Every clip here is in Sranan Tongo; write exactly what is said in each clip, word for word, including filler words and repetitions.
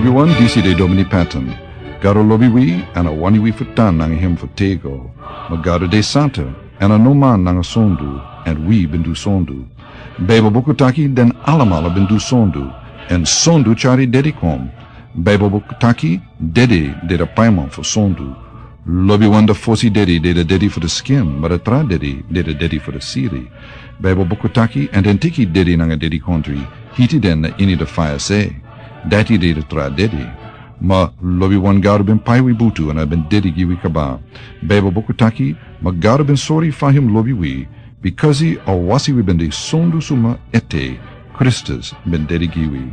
Wi wan disi de Domini Patton. Gado lobi wi, èn a wani wi fu tan nanga hem fu tego. Ma Gado de santa, èn a no man nanga sondu, èn wi ben du sondu. Baibel buku taki den alamala ben du sondu, èn sondu tyari dedi kon. Baibel buku taki dede de de paiman fu sondu. Lobiwan de fosi dedi de de dedi fu de skin, ma de tra dedi de de dedi fu de siri. Baibel buku taki èn den teki dedi nanga dedi kontri, hiti den na ini de faya se. Dati de de tra dedi. Ma lobiwan Gado ben pai wi butu èn a ben dedi gi wi kaba. Baibel buku taki, ma Gado ben sori fa hem lobi wi, bikasi a wasi wi ben de sondu suma ete, Kristus ben dedi gi wi.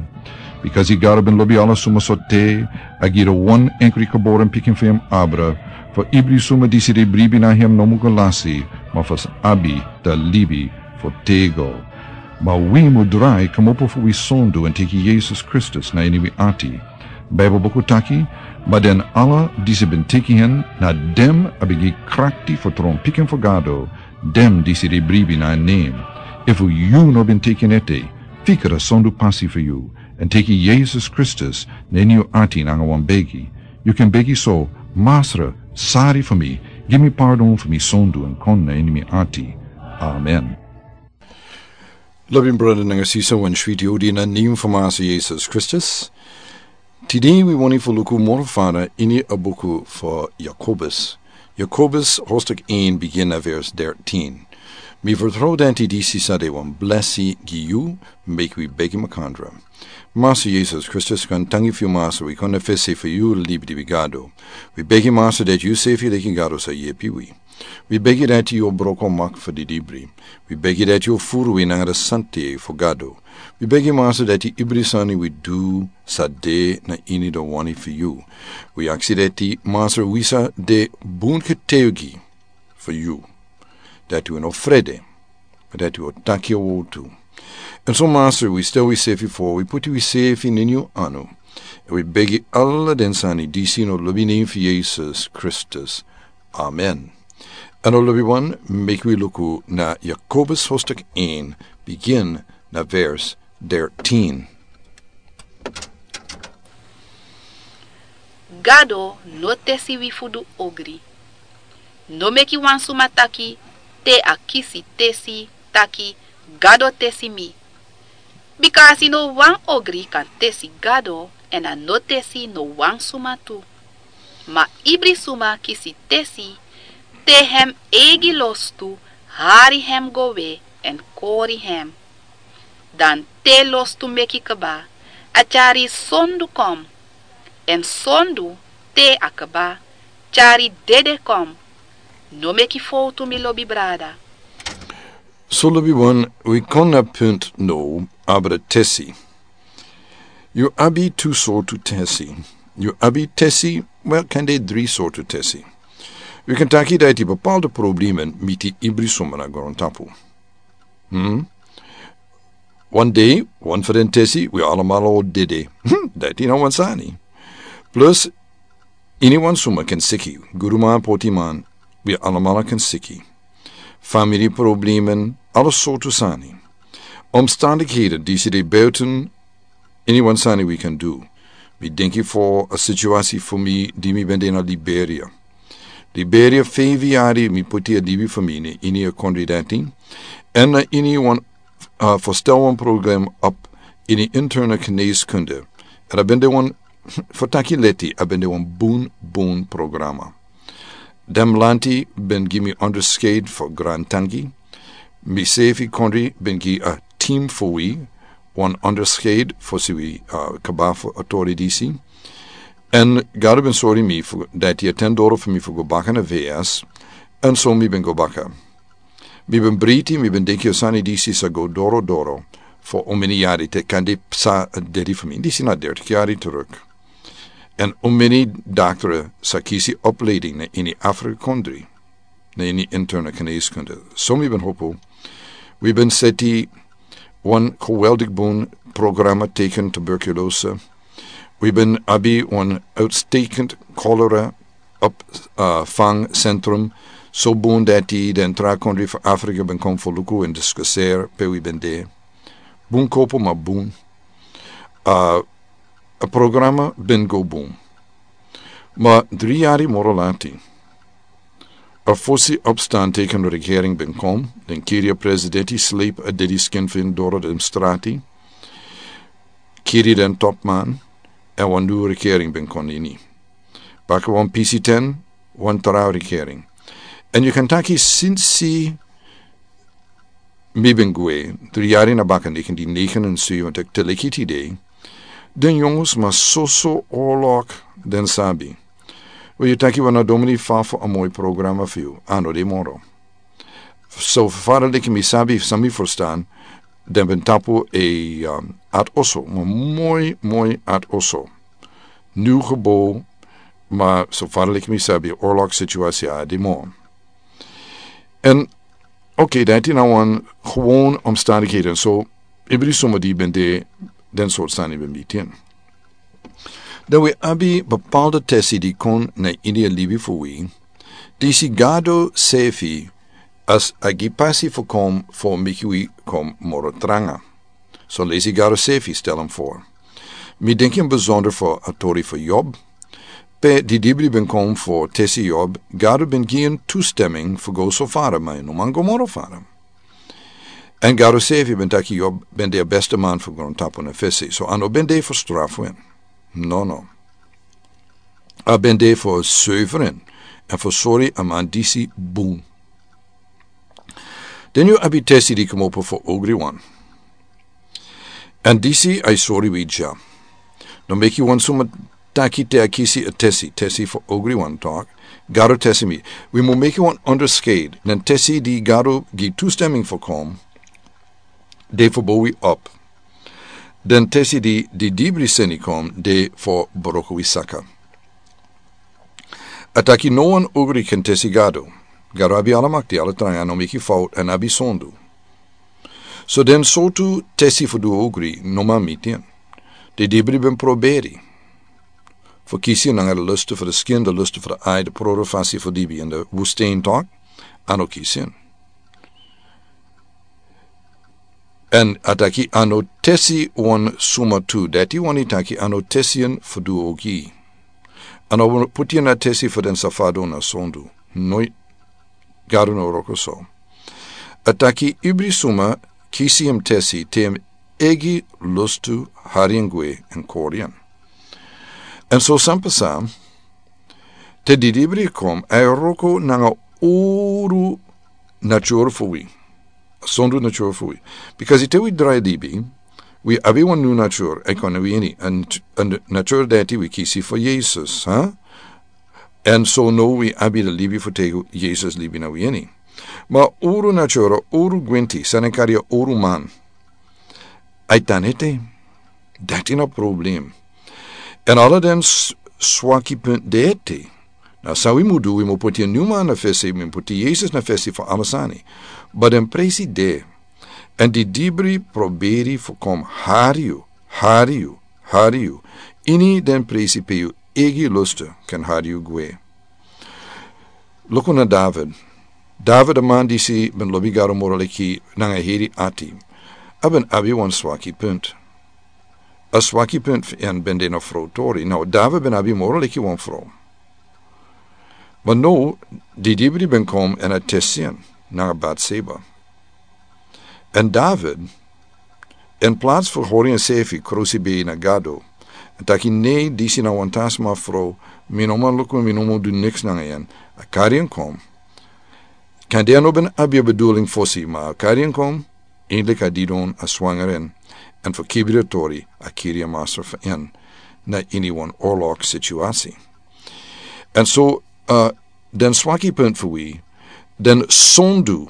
Bikasi Gado ben lobi ala suma so te, a gi de wan enkri kaboren pikin fu hem abra, fu ibri suma disi de bribi na hem no mu go lasi, ma fu abi de libi fu tego. Ma wi mu drai kmopo fu wi sondu èn teki Yesus Kristus na ini wi ati. Baibel buku taki, ma den ala disi ben teki hen, na dem a ben gi krakti fu tron pikin fu Gado, dem disi de bribi na en nen. Efu yu no ben teki en ete, fikra sondu pasi fu yu, èn teki Yesus Kristus na ini yu ati nanga wan begi. Yu ken begi so, Masra, sari fu mi, gi mi pardon fu mi sondu èn kon na ini mi ati. Amen. Lobi brada nanga sisa, wan switi odi na nen fu Masra Yesus Kristus. Tide wi wani fu luku moro fara ini a buku fu Yakobus. Yakobus hostuk en bigin na vers dertien. Mi fertrouw dati disi sa de wan blesi gi yu, meki wi begi makandra. Masra Yesus Kristus, kon tangi fu yu Masra, wi kon na fesi fu yu libi di wi Gado. Wi begi Masra dati yu sefi leki Gado sa yepi wi. Wi begi dati yu o broko mak fu di libri. Wi begi dati yu o furu wi nanga de sante fu Gado. Wi begi Masra dati ibri sani wi du sa de na ini de wani fu yu. Wi aksi dati Masra wi sa de bun ketewgi fu yu. Dati wi no frede. Dati wi o taki a wotu. Èn so Masra wi stel wi sefi fo, wi puti wi sefi na ini yu anu. Èn wi begi ala den sani disi na lobi nen fu Yesus Kristus. Amen. Èn o lobiwan, meki wi luku na Yakobus hostuk en, bigin na vers dertien. Gado no tesi wi fu du ogri. No meki wan suma taki te a kisi tesi taki Gado tesi mi. Bikasi no wan ogri kan tesi Gado, èn a no tesi no wan suma tu. Ma ibri suma kisi tesi te hem eigi lostu hari hem go we èn kori hem. Dan te lostu meki kba, a tyari sondu kon. Èn sondu te a kba, tyari dede kon. No meki fowtu, mi lobi brada. So lobiwan, wi kon na punt now, abra tesi. Yu abi tu sortu tesi. Yu abi tesi, wel, kande dri sortu tesi. Wi kan taki dati bepaalde problemen miti ibri suma na grontapu. Hmm? Wan dei, wan fu den tesi, wi alamala o dede. Hmm, dati na wan sani. Plus, iniwan suma kan siki, guduman, potiman, wi alamala kan siki. Famiri problemen, ala sortu sani. Omstandigheden disi de buiten iniwan sani wi kan du. Mi denki fu a situasi fu mi di mi ben de na Liberia. Liberia, feifi yari mi poti a libi fu mi na ini a kondre dati. Èn na ini wan, uh, verstel wan program op ini interne geneeskunde. Èn a ben de wan, fu taki leti, a ben de wan bun, bun programa. Den lanti ben gi mi onderscheid fu grantangi. Mi sefi kondre ben gi a team fu wi wan onderscheid fosi wi, uh, kaba fu a tori disi. Èn Gado ben sori mi fu dati a ten doro fu mi fu go baka na V S. Èn so mi ben go baka. Mi ben briti, mi ben denki a sani disi sa go doro doro fu omeni yari te kande sa dede fu mi. Disi na dertig yari teruk. Èn omeni daktere sa kisi opleiding na ini Afrika kondre, na ini interne geneeskunde. So mi ben hopo. Wi ben seti wan geweldig bun programa tegen tuberculose. Wi ben abi wan uitstekend cholera op, uh, vangcentrum. So bun dati den tra kondre fu Afrika ben kon fu luku èn diskuteri pe wi ben de. Bun kopo, ma bun. Uh, A programa ben go bun. Ma dri yari moro lati, a fosi opstan teken regering ben kon, den kiri a presidenti sleep a dedi skin fin doro den strati, kiri den topman, en wan nu regering ben kon ini. Baka wan pisi ten, wan tra regering. En yu kan taki sinsi mi ben gwe, dri yari na baka neken di neken en sui wan tek teleki tide, den yongus ma soso orlok den sabi. We yu taki wan a domini fa fu a moi programa fu yu, ano de moro. So fara leki mi sabi, sa mi furstan, den ben tapu e, um, at oso, ma moi, moi at oso. Nu gebo, ma so fara leki mi sabi, orlok situasi a de moro. En, oké, dati na wan gewoon omstandigheden. So, ibri suma di ben de, den sort sani ben bitin. Dan we abi bepaalde tesi di kon na ini a libi fu wi, disi Gado sefi as a gi pasi fu kom fu meki wi kom moro tranga. So lesi Gado sefi stel en voor. Mi denki en bezonder fu a tori fu Job. Pe di dibri ben kom fu tesi Job, Gado ben gi en toestemming fu go so fara, ma no man go moro fara. En Gado sefi ben taki Job ben de a beste man fu grontapu na fesi. So a no ben de fu strafu en. No, no. A ben de fu suiveren en fu sori a man disi bun. Den yu abi tesi di komopo fu ogri wan. En disi a sori wi dya. No meki wan suma taki te a kisi a tesi, tesi fu ogri wan tok. Gado tesi mi. Wi mu meki wan onderscheid. Den tesi di Gado gi toestemming fu kom, de fu bo wi op. Den tesi di, di dibri seni kom, de fu broko wi saka. A taki no wan ogri ken tesi Gado. Gado abi ala makti, ala tranga, no meki fout, en abi sondu. So den sortu tesi fu du ogri, no man miti en. Di dibri ben proberi. Fu kisi en nanga de lustu fu de skin, de lustu fu de ai, de proro fasi fu dibi en de woestijn tok, a no kisi en. En a taki a no tesi wan suma tu, dati wani taki a no tesi en fu du ogi. A no puti en a tesi fu den safado na sondu. Noi Gado no wroko so. A taki ibri suma kisi en tesi te en egi lustu hari en gwe en kori en. En so san pasa, te di dibri kom, a wroko nanga uru natur fu wi. Sondu natur fu wi. Because te wi drai dibi, wi abi wan nu natur, e kon wi ini, en, en natur dati wi kisi fu Jesus, ha? En so no wi abi de libi fu tegu Jesus libi na wi ini. Ma uru natur, uru gwenti, san e kari a uru man. Ai tan ete. Dati na problem. En ala den s-, swaki punt de ete. Na san wi mu du, wi mu puti en nu man na fesi, wi mu puti Jesus na fesi fu ala sani. But den presi de. En di dibri proberi fu kom hari yu, hari yu, hari yu. Ini den presi pe yu egi lustu ken hari yu gwe. Luku na David. David a man disi ben lobi Gado moro leki nanga heri ati. A ben abi wan swaki punt. A swaki punt fu en ben de na frow tori. Now, David ben abi moro leki wan frow. Ma no, di dibri ben kom en a tesi en nanga Bathsheba. En David, in plaats fu hori ensefi krusi bei na Gado, en taki nei, disi na wan tasma frow, mi no man luku, mi no man du niks nanga en, a kari en kom. Kande a no ben abi a bedoeling fosi, ma a kari en kom, eindelijk a didon a swanger en, en fu kibri a tori, a kiri a master fu en, na ini wan oorlog situatie. En so, uh, den swaki punt fu wi, den sondu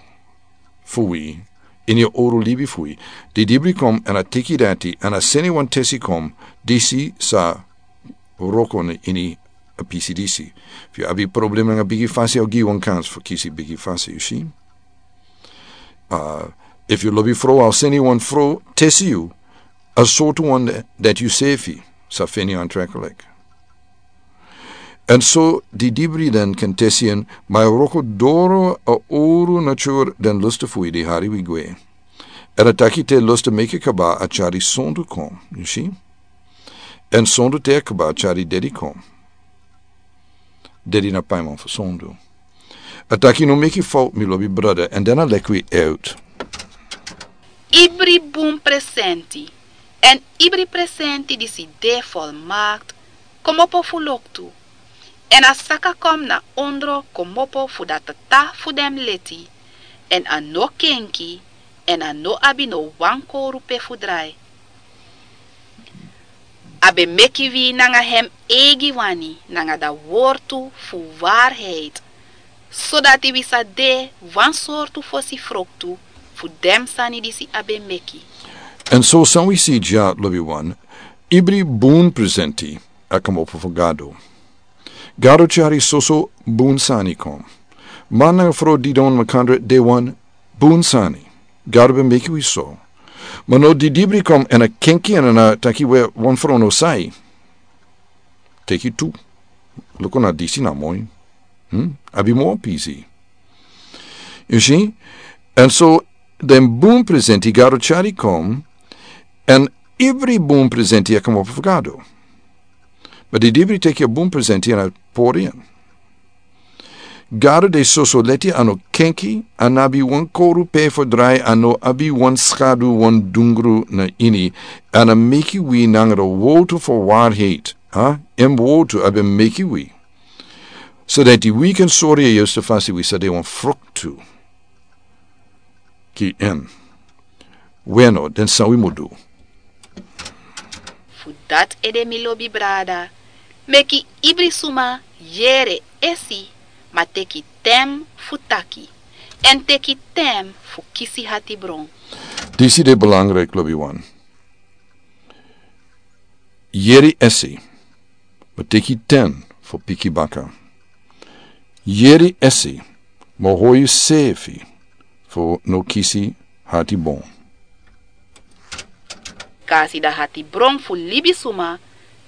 fu wi, ini a oru libi fu wi, di dibri kom en a teki dati, en a seni wan tesi kom, disi sa wroko na ini a pisi disi. Fu yu abi problem nanga bigi fasi, a o gi wan kans fu kisi bigi fasi, yu si. Uh, efu yu lobi frow, a o seni wan frow, tesi yu, a sortu wan dati yu sefi sa feni aantrekkelijk. En so di dibri den kan tesi en, ma a wroko doro a oru natur den lustu fu wi di hari wi gwe. En a taki te lustu meki kaba a tyari sondu kon, yu si. Èn sondu te a kba tyari dedi kon. Dedi na paiman fu sondu. A taki: No meki fowtu, mi lobi brada. Èn den a leki wi uit. Ibri bun presenti, èn ibri presenti disi de folmakti, kmopo fu loktu. Èn a saka kon na ondro kmopo fu dati tata fu den leti, èn a no kenki, èn a no abi no wan kowru pe fu drai. A ben meki wi nanga hem eigi wani, nanga da wortu fu waarheid, sodati wi sa de wan sortu fosi froktu fu den sani disi a ben meki. Èn so san wi si dya, lobi wan, ibri bun presenti a kmopo fu Gado. Gado tyari soso bun sani kon. Man nanga frow didon makandra de wan bun sani. Gado ben meki wi so. Ma no didibri kon èn a kenki èn a taki: We, wan frow no sai. Teki tu. Luku, na disi na moi. Hmm? Abi moro pisi. Yu si? Èn so den bun presenti Gado tyari kon, èn ibri bun presenti a kmopo fu Gado. Ma didibri teki a bun presenti èn a pori en. Gado de soso leti, a no kenki, a no abi wan kowru pe fu drai, a no abi wan skadu, wan dungru na ini, èn a meki wi nanga da wortu fu waarheid, ha? Èn wortu a ben meki wi. Sodati wi kan sori a yustu fasi, wi sa de wan froktu. Ki en. Weno, den san wi mu du? Fu dati ede, mi lobi brada, meki ibri suma yere esi, ma teki ten fu taki, èn teki ten fu kisi hatibron. Disi de belangrijk, lobi wan. Yere esi, ma teki ten fu piki baka. Yere esi, ma hori yusrefi fu no kisi hatibron. Kasi da hatibron fu libisuma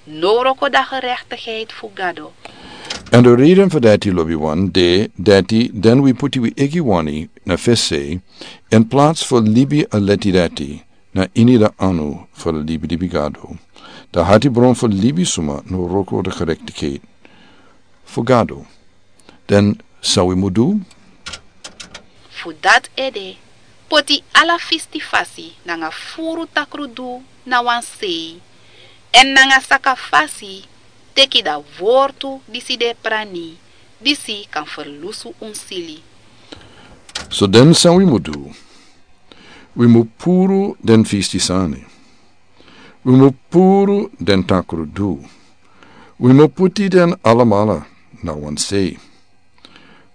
no wroko da gerechtigheid fu Gado. Èn de reden fu dati, lobi wan, de dati den wi puti wi eigi wani na fesi, in plaats fu libi a leti dati na ini da anu fu da libi, libi Gado. Da hatibron fu libisuma no wroko da gerechtigheid fu Gado. Den san wi mu du? Fu dati ede, poti ala fisti fasi nanga furu takru du na wan sei, èn nanga saka fasi teki da wortu disi de prani, disi kan ferlusu un sili. So den san wi mu du? Wi mu puru den fisti sani. Wi mu puru den takru du. Wi mu puti den alamala na wan sei.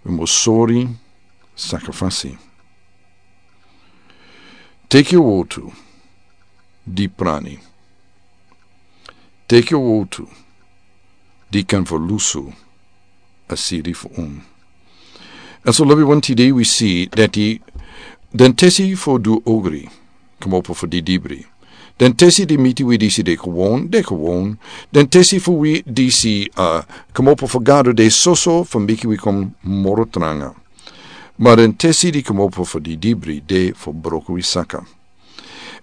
Wi mu sori, saka fasi. Teki wortu di prani. Teki wortu di kan ferlusu a siri fu un. Èn so lobi wan, tide wi si dati den tesi fu du ogri kmopo fu didibri. Den tesi di miti wi disi de kowon, de kowon. Den tesi fu wi disi, a, kmopo fu Gado de soso fu meki wi kon moro tranga. Ma den tesi di kmopo fu didibri de fu broko wi saka.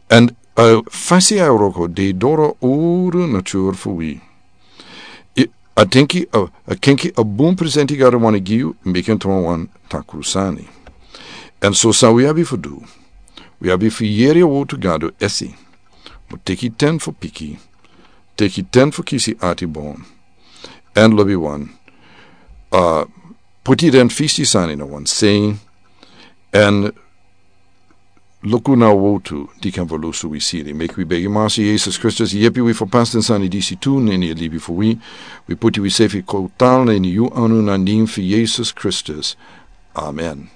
Èn, a, fasi a wroko de doro uru natur fu wi. I, a tenki, a, a kenki a bun presenti Gado wani gi yu, meki en tron wan takru sani. Èn so san wi abi fu du? Wi abi fu yere a wortu Gado esi. Mu teki ten fu piki. Teki ten fu kisi hatibron. Èn lobi wan, a, puti den fisti sani na wan sei. Èn luku na wortu di kan ferlusu wi siri. Meki wi begi Massa Yesus Kristus yepi wi fu pasi den sani disi tu na ini a libi fu wi. Wi puti wi sefi total na ini yu anu, na nen fu Yesus Kristus. Amen.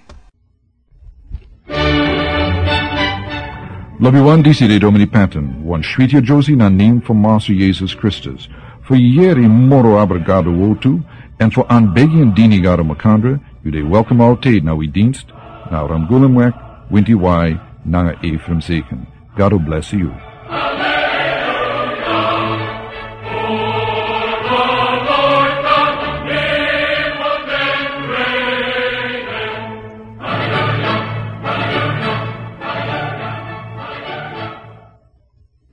Lobi wan, disi de Domini Patton, wan switi a Josie na nen fu Massa Yesus Kristus. Fu yere moro abra Gado wortu, èn fu anbegi èn dini Gado makandra, yu de welkom altijd na wi dienst, na Ramgulumweg, winti wai, nanga Ephraim Zeken. God will bless you.